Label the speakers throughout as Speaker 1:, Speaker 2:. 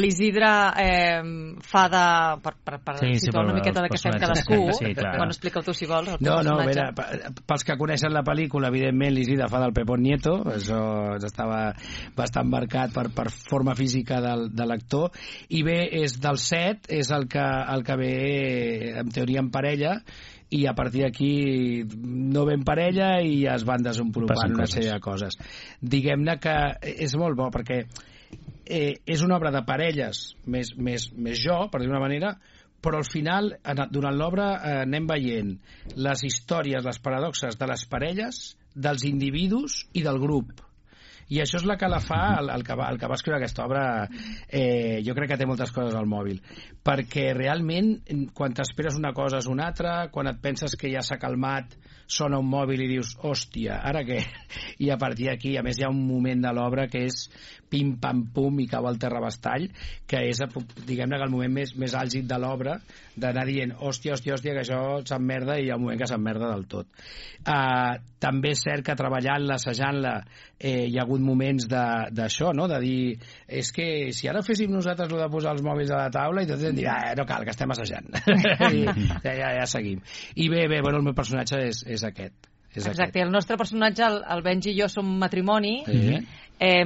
Speaker 1: l'Isidre fa de... per situar una miqueta de què fem cadascú. Bueno, explica-ho tu si vols.
Speaker 2: No, a veure, pels que coneixen la pel·lícula, evidentment l'Isidre fa del Pepón Nieto, això estava bastant marcat per forma física de l'actor, i bé, és del set, és el que ve en teoria en parella, i a partir d'aquí no ve en parella i es van desenvolupant una sèrie de coses. Diguem-ne que és molt bo perquè és una obra de parelles més jo, per dir-ho d'una manera, però al final, durant l'obra, anem veient les històries, les paradoxes de les parelles, dels individus i del grup. I això és la que la fa el que va escriure aquesta obra. Jo crec que té moltes coses al mòbil, perquè realment quan t'esperes una cosa és una altra, quan et penses que ja s'ha calmat sona un mòbil i dius, hòstia, ara què? I a partir d'aquí, a més hi ha un moment de l'obra que és pim pam pum i cau al terrabastall, que és, diguem-ne, que el moment més àlgid de l'obra, d'anar dient, hòstia, que això s'emmerda, i hi ha un moment que s'emmerda del tot. També és cert que treballant-la, assajant-la, hi ha hagut moments d'això, no? De dir, és que si ara féssim nosaltres el de posar els mòbils a la taula, i tots hem dit, no cal, que estem assajant. I ja seguim. I bé, bueno, el meu personatge és aquest.
Speaker 1: Exacte, i el nostre personatge, el Benji i jo, som matrimoni,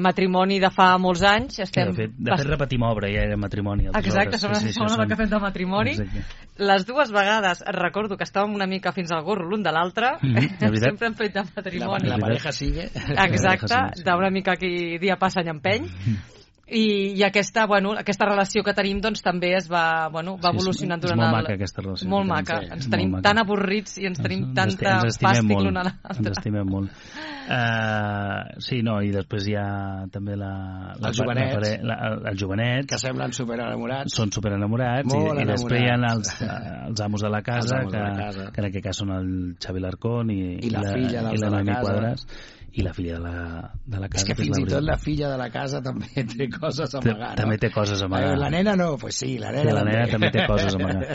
Speaker 1: matrimoni de fa molts anys.
Speaker 3: De fet repetim obra, ja era matrimoni.
Speaker 1: Exacte, som la que fem de matrimoni. Les dues vegades recordo que estàvem una mica fins al gorro l'un de l'altre, sempre hem fet de matrimoni.
Speaker 2: La pareja sigue.
Speaker 1: Exacte, d'una mica qui dia passa any empeny. I aquesta relació que tenim doncs també es va evolucionant durant
Speaker 3: molt maca aquesta relació.
Speaker 1: Molt maca, ens tenim tan avorrits i ens tenim tanta fàstic l'un a l'altre.
Speaker 3: Ens estimem molt. Sí, no, i després hi ha també el jovenet,
Speaker 2: que semblen superenamorats.
Speaker 3: Són superenamorats, i després hi ha els amos de la casa, que en aquest cas són el Xavi Larcón i la Noemi Quadras, i la filla de la casa.
Speaker 2: És que fins i tot la filla de la casa també té coses a amagar.
Speaker 3: També té coses a amagar.
Speaker 2: La nena no, pues sí, la nena
Speaker 3: també té coses a amagar.